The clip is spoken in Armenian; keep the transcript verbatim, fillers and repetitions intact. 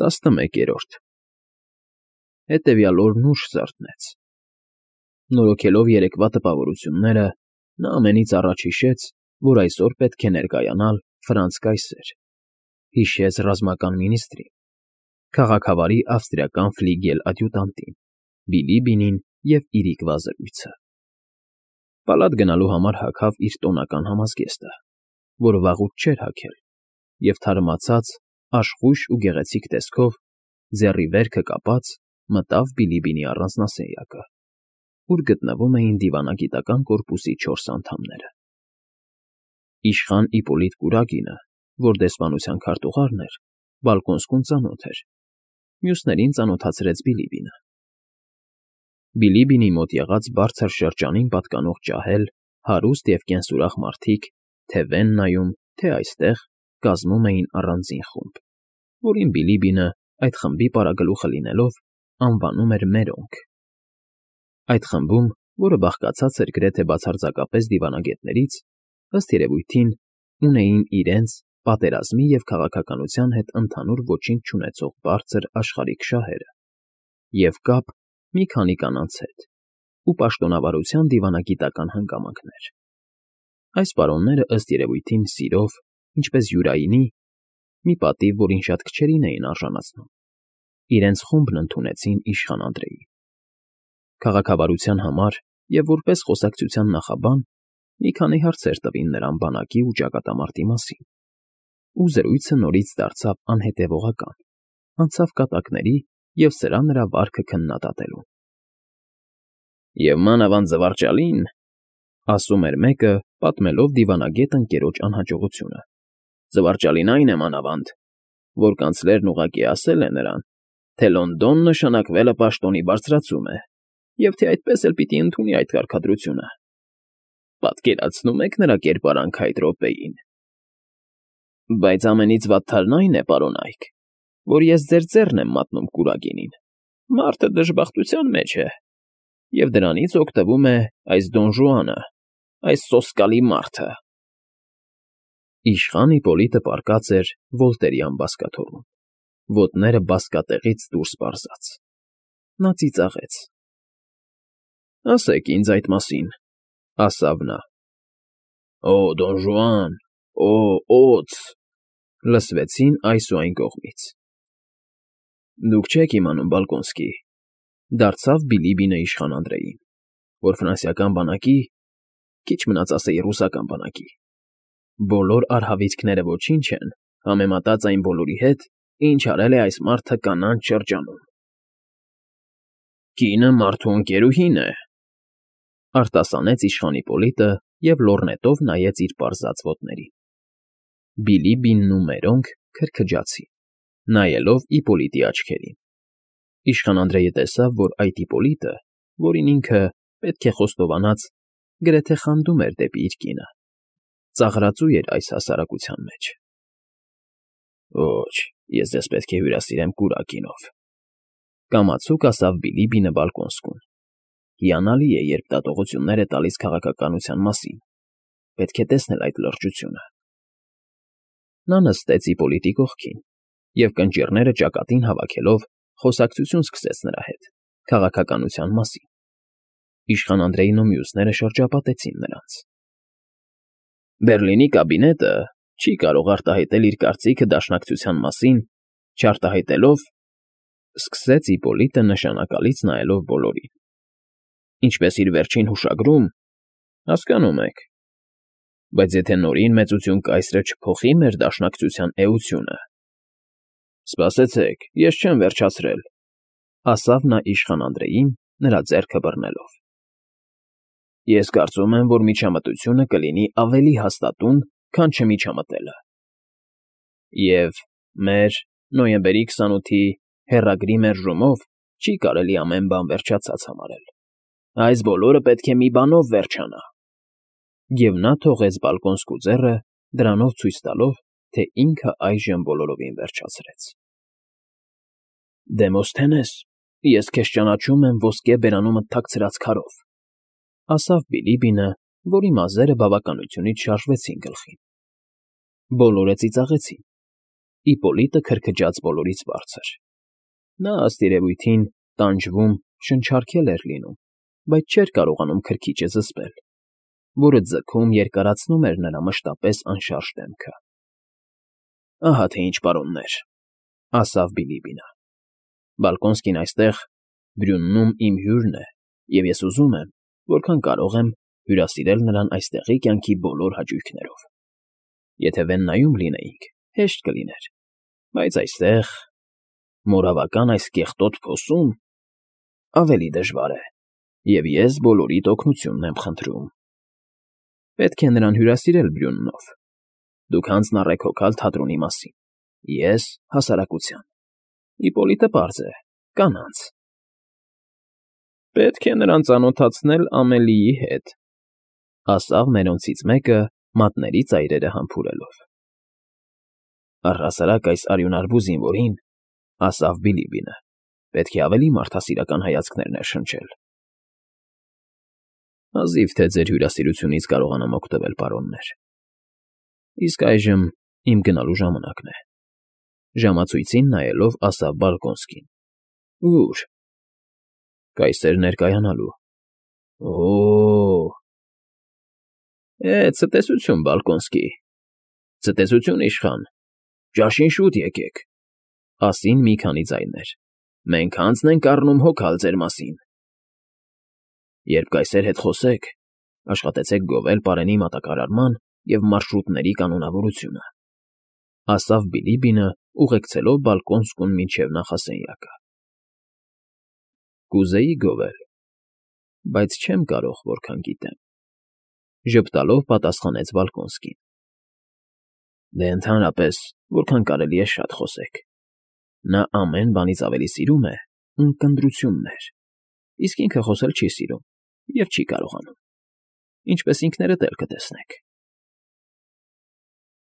Տասնմեկերորդ Հետևյալ օրն ուշ զարթնեց։ Նորոգելով երեկվա տպավորությունները, նա ամենից առաջ հիշեց, որ այսօր պետք է ներկայանալ Ֆրանց կայսեր, հիշեց ռազմական մինիստրին, քաղաքավարի ավստրիական ֆլիգել ադյուտանտին, Բիլիբինին և իր վազրույցը։ Պալատ գնալու համար հագավ իր տոնական համազգեստը, որ վաղուց չէր հագել, և թարմացած, աշխույժ ու գեղեցիկ տեսքով, ձեռի վերքը կապած, մտավ Բիլիբինի առանձնասենյակը, ուր գտնվում էին դիվանագիտական կորպուսի չորս անդամները։ Իշխան Իպոլիտ Կուրակինը, որ դեսպանության քարտուղարն էր, բալկոնսկուն ծանոթ էր, մյուսներին ծանոթացրեց Բիլիբինը։ Բիլիբինի մոտ եղած բարձր շրջանին պատկանող ջահել, հարուստ և կենսուրախ մարդիկ, թե վեն նայում, թե այստեղ, կազմում էին առանձին խումբ, որին Բիլիբինը, այդ խմբի պարագլուխը լինելով, անվանում էր Մերոնք։ Այդ խմբում, որը բաղկացած էր գրեթե բացարձակապես դիվանագետներից, ըստ երևույթին, ունեին իրենց, պատերազմի և քաղաքականության հետ ընդհանուր ոչինչ չունեցող բարձր աշխարհիկ շահերը և կապ մի քանի կանանց հետ ու պաշտոնավարության դիվանագիտական հանգամանքներ։ Այս պարոնները, ըստ երևույթին, սիրով, ինչպես յուրայինի, մի պատիվ, որին շատ քչերին էին արժանացնում, իրենց խումբն ընդունեցին իշխան Անդրեին։ Քաղաքավարության համար և որպես խոսակցության նախաբան մի քանի հարցեր տվին նրան բանակի ու ճակատամարտի մասին, ու զրույցը նորից դարձավ անհետևողական, անցավ կատակների և սրա նրա վարքը քննադատելուն։ «Եվ մանավանդ զվարճալին,֊ ասում էր մեկը, պատմելով դիվանագետ ընկերոջ անհաջողությունը,֊ զվարճալին այն է մանավանդ, որ կանցլերն ուղղակի ասել է նրան, թե Լոնդոն նշանակվելը պաշտոնի բարձրացում է, և թե այդպես էլ պիտի ընդունի այդ կարգադրությունը։ Պատկերացնո՞ւմ եք նրա կերպարանքը այդ րոպեին։ Բայց ամենից վատթարն այն է, պարոն Այք, որ ես ձեր ձեռն եմ մատնում Կուրակինին, մարդը դժբախտության մեջ է, և դրանից օգտվում է այս Դոն Ժուանը, այս սոսկալի մարդը»։ Իշխան Իպոլիտը պառկած էր Վոլտերյան բազկաթոռում, ոտները բազկատեղից դուրս պարզած։ Նա ծիծաղեց։ «Ասեք ինձ այդ մասին,֊ ասավ նա։ «Օ, Դոն Ժուան, օ, օձ…֊ լսվեցին այս ու այն կողմից։ Դուք չեք իմանում, Բալկոնսկի,֊ դարձավ Բիլիբինը իշխան Անդրեին,֊ որ ֆրանսիական բանակի, քիչ մնաց ասեի ռուսական բանակի, բոլոր արհավիրքները ոչինչ են համեմատած այն բոլորի հետ, ինչ արել է այս մարդը կանանց շրջանում»։ «Կինը մարդու ընկերուհին է,֊ արտասանեց իշխան Իպոլիտը և լոռնետով նայեց իր պարզած ոտներին։ Բիլիբինն ու Մերոնք քրքջացին, նայելով Իպոլիտի աչքերին։ Իշխան Անդրեյը տեսավ, որ այդ Իպոլիտը, որին ինքը, պետք է խոստովանած, գրեթե խանդում էր դեպի իր կինը, ծաղրածու էր այս հասարակության մեջ։ «Ոչ, ես ձեզ պետք է հյուրասիրեմ Կուրակինով,֊ կամացուկ ասավ Բիլիբինը բալկոնսկուն։ Հիանալի է, երբ դատողություններ է տալիս քաղաքականության մասին, պետք է տեսնել այդ լրջությունը»։ Նա նստեց Իպոլիտի կողքին և կնճիռները ճակատին հավաքելով խոսակցություն սկսեց նրա հետ քաղաքականության մասին։ Իշխան Անդրեյն ու մյուսները շրջապատեցին նրանց։ «Բերլինի կաբինետը չի կարող արտահայտել իր կարծիքը Դաշնակցության մասին, չարտահայտելով,֊ սկսեց Իպոլիտը նշանակալից նայելով բոլորին,֊ ինչպես իր վերջին հուշագրում, հասկանում եք, բայց եթե Նորին մեծություն կայսրը չփոխի մեր Դաշնակցության էությունը…» Սպասեցեք, ես չեմ վերջացրել,֊ ասավ նա իշխան Անդրեին, նրա ձեռքը բռնելով։ «Ես կարծում եմ, որ միջամտությունը կլինի ավելի հաստատուն, քան չմիջամտելը։ Եվ մեր՝ նոյեմբերի քսանութի հեռագրի մերժումով չի կարելի ամեն բան վերջացած համարել։ Այս բոլորը պետք է մի բանով վերջանա»։ Եվ նա թողեց բալկոնսկու ձեռը, դրանով ցույց տալով, թե ինքը այժմ բոլորովին վերջացրեց։ «Դեմոսթենես, ես քեզ ճանաչում եմ ոսկե բերանումդ թաքցրած քարով,֊ ասավ Բիլիբինը, որի մազերը բավականությունից շարժվեցին գլխին։ Բոլորը ծիծաղեցին, Իպպոլիտը քրքջաց բոլորից բարձր։ Նա, ըստ երևույթին, տանջվում, շնչառքել էր լինում, բայց չէր կարողանում քրքիջը զսպել, որը ձգում երկարացնում էր նրա մշտապես անշարժ դեմքը։ ֊ Ահա թե ինչ, պարոններ,֊ ասավ Բիլիբինը,֊ Բալկոնսկին այստեղ Բրյուննում իմ հյուրն է, և ես ուզում եմ, որքան կարող եմ, հյուրասիրել նրան այստեղի կյանքի բոլոր հաճույքներով։ Եթե Վեննայում լինեինք, հեշտ կլիներ, բայց այստեղ, մորավական այս կեղտոտ փոսում, ավելի դժվար է, և ես բոլորիդ օգնությունն եմ խնդրում։ Պետք է նրան հյուրասիրել Բրյուննով։ Դուք հանձնառեք հոգալ թատրոնի մասին, ես՝ հասարակության, Իպպոլիտը պարզ է, կանանց։ Պետք է նրան ծանոթացնել Ամելիի հետ,֊ ասավ մերոնցից մեկը, մատների ծայրերը համբուրելով։ Առհասարակ այս արյունարբու զինվորին,֊ ասավ Բիլիբինը,֊ պետք է ավելի մարդասիրական հայացքներ ներշնչել։ Հազիվ թե ձեր հյուրասիրությունից կարողանամ օգտվել, պարոններ։ Իսկ այժմ իմ գնալու ժամանակն է,֊ ժամացույցին նայելով ասավ Բալկոնսկին։ Ո՞ւր։ Կայսեր ներկայանալու։ Օ՜օ… Է, ցտեսություն, Բալկոնսկի, ցտեսություն, իշխան, ճաշին շուտ եկեք,֊ ասին մի քանի ձայներ,֊ մենք հանձն ենք առնում հոգալ ձեր մասին։ Երբ կայսեր հետ խոսեք, աշխատեցեք գովել պարենի մատակարարման և մարշրուտների կանոնավորությունը,֊ ասավ Բիլիբինը, ուղեկցելով Բալկոնսկուն մինչև նախասենյակը։ Կուզեի գովել, բայց չեմ կարող, որքան գիտեմ,֊ ժպտալով պատասխանեց Բալկոնսկին։ Դե ընդհանրապես, որքան կարելի է շատ խոսեք։ Նա ամեն բանից ավելի սիրում է ունկնդրություններ, իսկ ինքը խոսել չի սիրում և չի կարողանում, ինչպես ինքներդ էլ կտեսնեք։